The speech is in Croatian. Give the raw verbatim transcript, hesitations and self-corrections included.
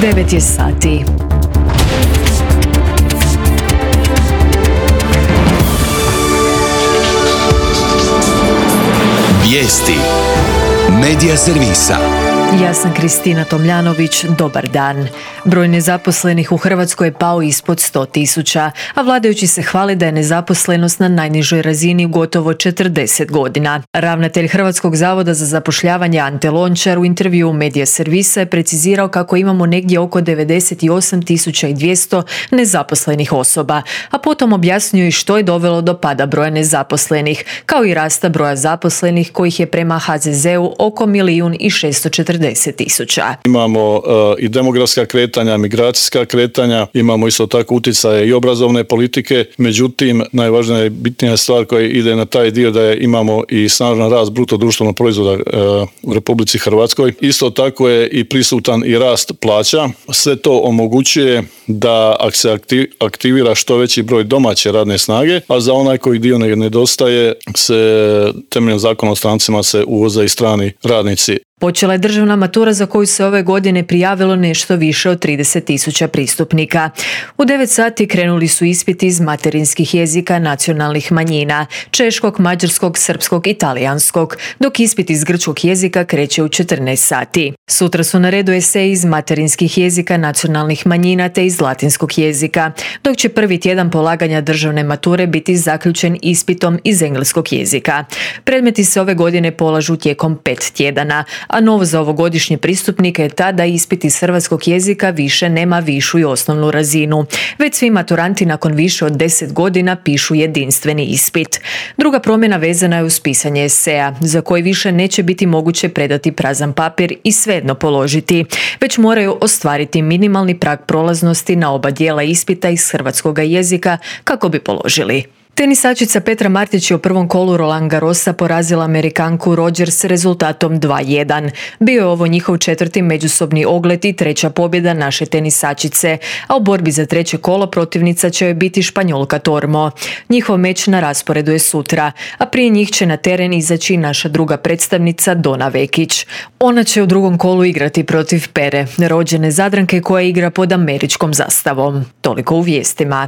devet je sati. Vijesti Medija servisa. Ja sam Kristina Tomljanović, dobar dan. Broj nezaposlenih u Hrvatskoj je pao ispod sto tisuća, a vladajući se hvale da je nezaposlenost na najnižoj razini u gotovo četrdeset godina. Ravnatelj Hrvatskog zavoda za zapošljavanje Ante Lončar u intervjuu Medija servisa je precizirao kako imamo negdje oko devedeset osam tisuća dvjesto nezaposlenih osoba, a potom objasnio i što je dovelo do pada broja nezaposlenih, kao i rasta broja zaposlenih kojih je prema ha ze zeu oko milijun i šesto četrdeset tisuća. Imamo uh, i demografska kretanja, migracijska kretanja, imamo isto tako utjecaje i obrazovne politike, međutim najvažnija i bitnija stvar koja ide na taj dio da je imamo i snažan rast bruto društvenog proizvoda uh, u Republici Hrvatskoj. Isto tako je i prisutan i rast plaća. Sve to omogućuje da ako se aktivira što veći broj domaće radne snage, a za onaj koji dio nedostaje se temeljem zakona o strancima se uvoze i strani radnici. Počela je državna matura za koju se ove godine prijavilo nešto više od trideset tisuća pristupnika. U devet sati krenuli su ispiti iz materinskih jezika nacionalnih manjina, češkog, mađarskog, srpskog i talijanskog, dok ispit iz grčkog jezika kreće u četrnaest sati. Sutra su na redu eseji iz materinskih jezika nacionalnih manjina te iz latinskog jezika, dok će prvi tjedan polaganja državne mature biti zaključen ispitom iz engleskog jezika. Predmeti se ove godine polažu tijekom pet tjedana, a novo za ovogodišnje pristupnike je ta da ispit iz hrvatskog jezika više nema višu i osnovnu razinu, već svi maturanti nakon više od deset godina pišu jedinstveni ispit. Druga promjena vezana je uz pisanje eseja, za koji više neće biti moguće predati prazan papir i svejedno položiti, već moraju ostvariti minimalni prag prolaznosti na oba dijela ispita iz hrvatskog jezika kako bi položili. Tenisačica Petra Martić je u prvom kolu Roland Garrosa porazila Amerikanku Rogers s rezultatom dva jedan. Bio je ovo njihov četvrti međusobni ogled i treća pobjeda naše tenisačice, a u borbi za treće kolo protivnica će joj biti Španjolka Tormo. Njihov meč na rasporedu je sutra, a prije njih će na teren izaći naša druga predstavnica Dona Vekić. Ona će u drugom kolu igrati protiv Pere, rođene Zadranke koja igra pod američkom zastavom. Toliko u vijestima.